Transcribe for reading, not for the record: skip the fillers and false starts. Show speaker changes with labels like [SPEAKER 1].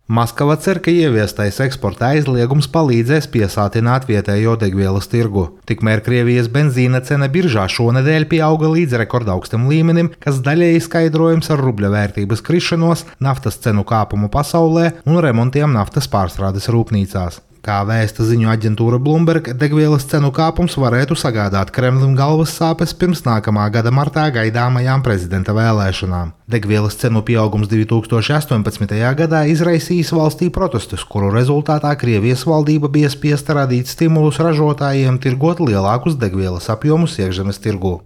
[SPEAKER 1] Maskava cer, ka ieviestais eksporta aizliegums palīdzēs piesātināt vietējo degvielas tirgu. Tikmēr Krievijas benzīna cena biržā šonedēļ pieauga līdz rekordaugstam līmenim, kas daļēji skaidrojams ar rubļa vērtības krišanos, naftas cenu kāpumu pasaulē un remontiem naftas pārstrādes rūpnīcās. Kā vēsta ziņu aģentūra Bloomberg, degvielas cenu kāpums varētu sagādāt Kremlim galvas sāpes pirms nākamā gada martā gaidāmajām prezidenta vēlēšanām. Degvielas cenu pieaugums 2018. gadā izraisījis valstī protestus, kuru rezultātā Krievijas valdība bija spiesta radīt stimulus ražotājiem tirgot lielākus degvielas apjomus iekšzemes tirgū.